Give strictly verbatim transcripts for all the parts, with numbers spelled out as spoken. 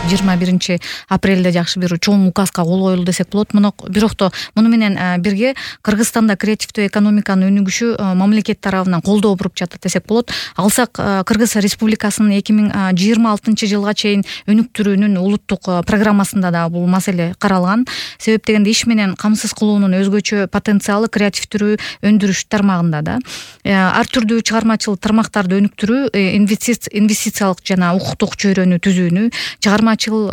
жыйырма биринчи апрелде жакшы бир чоң указга кол коюлду десек болот. Бирокто муну менен бирге Кыргызстанда креативдүү экономиканын өнүгүшү мамлекет тарабынан колдоо буруп жатат десек болот. Алсак, Кыргыз Республикасынын эки миң жыйырма алтынчы жылга чейин өнүктүрүүнүн улуттук программасында да бул маселе каралган. Себеп дегенде иш менен камсыз кылуунун өзгөчө потенциалы креативдүү өндүрүш тармагында да. Ар түрдүү чыгармачыл тармактарды өнүктүрүү, инвестициялык жана укуктук чөйрөнү түзүүнү, чыгармачыл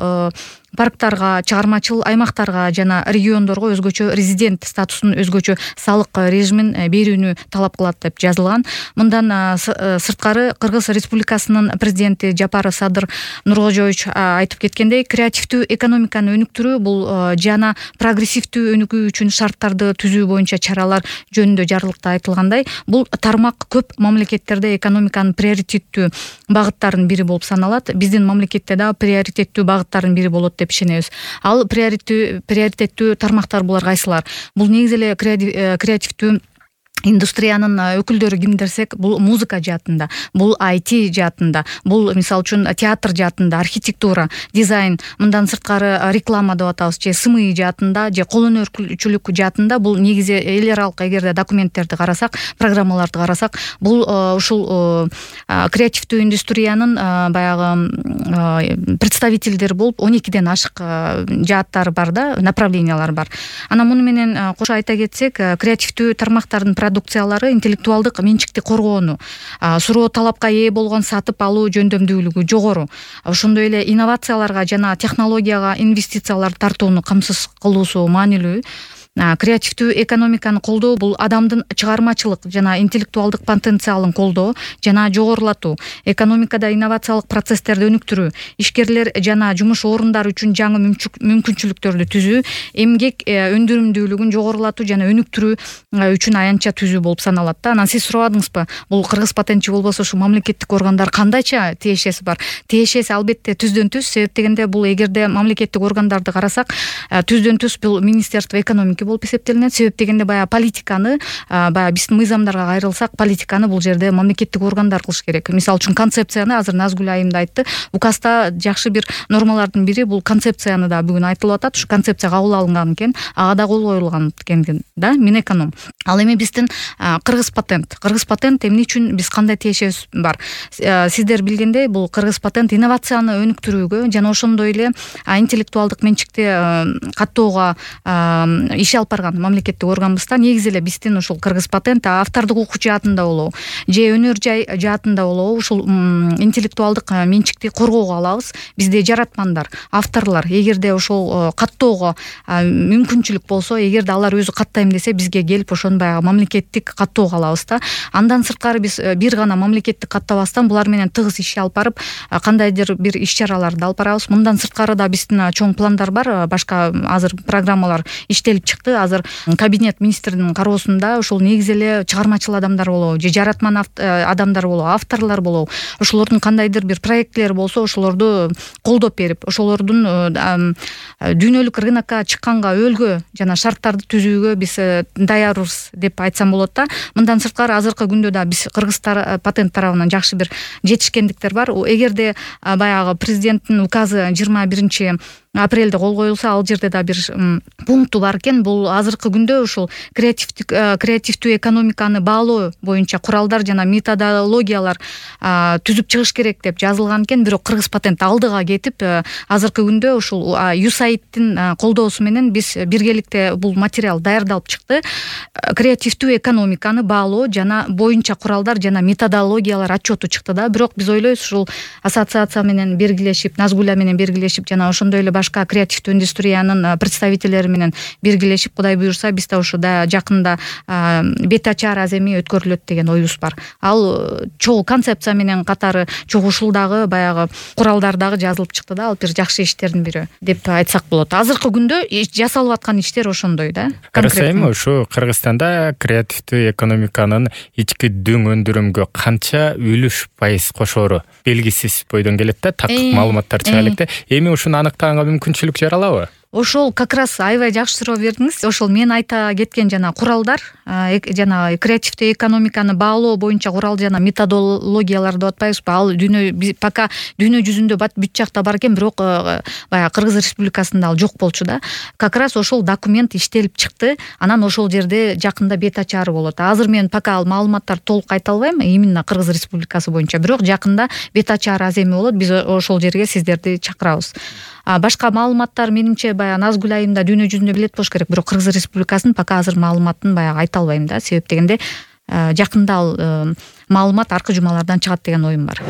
парктарга, чыгармачыл аймактарга жана региондорго өзгөчө резидент статусун, өзгөчө салык режимин берүүнү талап кылат деп жазылган. Мындан сырткары Кыргыз Республикасынын президенти Жапаров Садыр Нуркожоевич айтып кеткендей, креативдүү экономиканы өнүктүрүү бул жана прогрессивдүү өнүгүү үчүн шарттарды түзүү боюнча чаралар жөнүндө жарлыкта айтылгандай, бул тармак көп мамлекеттерде экономиканын приоритеттүү багыттарынын бири болуп саналат. Биздин мамлекетте да приоритеттүү багыттардын бири болот деп ишенебиз. Ал приоритеттүү приоритеттүү тармактар булар кайсылар? Бул негизи эле креативдүү индустриянын өкүлдөрү ким десек, бул музыка жаатында, бул ай ти жаатында, бул мисалы үчүн театр жаатында, архитектура, дизайн, мындан сырткары реклама деп атабыз, же СМИ жаатында, же кол өнөрчүлүк жаатында. Бул негизи эл аралык эгерде документтерди карасак, программаларды карасак, бул ушул креативдүү индустриянын баягы представительдери болуп он экиден ашык жааттары бар да, направлениялар бар. Анан муну менен кошо айта кетсек, креативдүү тармактардын продукциялары интеллектуалдык менчикти коргоону, суроо талапка ээ болгон сатып алуу жөндөмдүүлүгү жогору, ошондой эле инновацияларга жана технологияга инвестициялар тартууну камсыз кылуусу маанилүү. Креативдүү экономиканы колдоо бул адамдын чыгармачылык жана интеллектуалдык потенциалын колдоо жана жогорулатуу, экономикада инновациялык процесстерди өнүктүрүү, ишкерлер жана жумуш орундары үчүн жаңы мүмкүнчүлүктөрдү түзүү, эмгек өндүрүмдүүлүгүн жогорулатуу жана өнүктүрүү үчүн аянтча түзүү болуп саналат да. Анан сиз сурабадыңызбы, бул кыргыз патентчи болбосо ушу мамлекеттик органдар кандайча тиешеси бар? Тиешеси албетте түздөн түз. Себеп дегенде бул эгерде мамлекеттик органдарды карасак, түздөн түз бул Министерство экономики болуп эсептелинет. Себеп дегенде баягы политиканы, баягы биздин мыйзамдарга кайрылсак, политиканы бул жерде мамлекеттик органдар кылыш керек. Мисалы үчүн концепцияны азыр Назгүл айым да айтты. Указда жакшы бир нормалардын бири бул концепцияны да бүгүн айтылып атат. Ушу концепция кабыл алынган экен, ага да кол коюлган экен да, Минэконом. Ал эми биздин Кыргыз патент. Кыргыз патент эмне үчүн биз кандай тиешебиз бар? Сиздер билгендей, бул Кыргыз патент инновацияны өнүктүрүүгө жана ошондой эле интеллектуалдык менчикти каттоого иш алып барган мамлекеттик органбыз да. Негизи эле биздин ушул Кыргыз патент автордук укук жаатында болобу, же өнөр жай жаатында болобу, ушул интеллектуалдык менчикти коргоого алабыз. Бизде жаратмандар, авторлор, эгерде ошол каттоого мүмкүнчүлүк болсо, эгерде алар өзү каттайм десе, бизге келип ошону баягы мамлекеттик каттоого алабыз да. Андан сырткары биз бир гана мамлекеттик каттабастан булар менен тыгыз иш алып барып, кандайдыр бир иш-чараларды алып барабыз. Мындан сырткары да биздин чоң пландар бар. Башка азыр программалар иштелип чыкты. Азыр кабинет министринин кароосунда ушул негизи эле чыгармачыл адамдар болобу, же жаратман адамдар болобу, авторлор болобу, ошолордун кандайдыр бир проектлери болсо, ошолорду колдоп берип, ошолордун дүйнөлүк рынокко чыкканга өөлгө жана шарттарды түзүүгө биз даярбыз деп айтсам болот да. Мындан сырткары азыркы күндө да биз Кыргыз патент тарабынан жакшы бир жетишкендиктер бар. Эгерде баягы президенттин указы жыйырма биринчи апрелде кол коюлса, ал жерде да бир пункту бар экен. Бул азыркы күндө ушул креативдик креативдүү экономиканы баалоо боюнча куралдар жана методологиялар түзүп чыгыш керек деп жазылган экен. Бирок Кыргыз патент алдыга кетип, азыркы күндө ушул юсаидтин колдоосу менен биз биргеликте бул материал даярдалып чыкты. Креативдүү экономиканы баалоо жана боюнча куралдар жана методологиялар отчету чыкты да. Бирок биз ойлойбуз, ушул ассоциация менен бергилешип, Назгүлө менен бергилешип жана ошондой эле башка креативдүү индустриянын представительдери менен биргелешип, Кудай буюрса, биз да ушу да жакында бет ачар аземи өткөрүлөт деген оюбуз бар. Ал чогуу концепция менен катары чогуу ушулдагы баягы куралдардагы жазылып чыкты да. Ал бир жакшы иштердин бири деп айтсак болот. Азыркы күндө жасалып аткан иштер ошондой да. Карасайм, ушу Кыргызстанда креативдүү экономиканын ички дүң өндүрүмгө канча үлүш пайыз кошоору белгисиз бойдон келет да. Такыр маалыматтар чыга электе. Эми ушуну аныктаганга мүмкүнчүлүк жаралабы? ошол как раз аябай жакшы суроо бердиңиз. Ошол мен айта кеткен жана куралдар, жана креативдүү экономиканы баалоо боюнча курал жана методологиялар деп атпайбызбы? Ал дүйнө пока дүйнө жүзүндө бүт жакта бар экен, бирок баягы Кыргыз Республикасында ал жок болчу да. Как раз ошол документ иштелип чыкты. Анан ошол жерде жакында бет ачары болот. Азыр мен пока ал маалыматтар толук айта албайм, именно Кыргыз Республикасы боюнча. Бирок жакында бет ачары аз эме болот. Биз ошол жерге сиздерди чакырабыз. А башка маалыматтар менимче баягы Назгүл айымда дүйнө жүзүндө билет болуш керек. Бирок Кыргыз Республикасынын пока азыр маалыматын баягы айта албайм да. Себеп дегенде жакында ал маалымат аркы жумалардан чыгат деген оюм бар.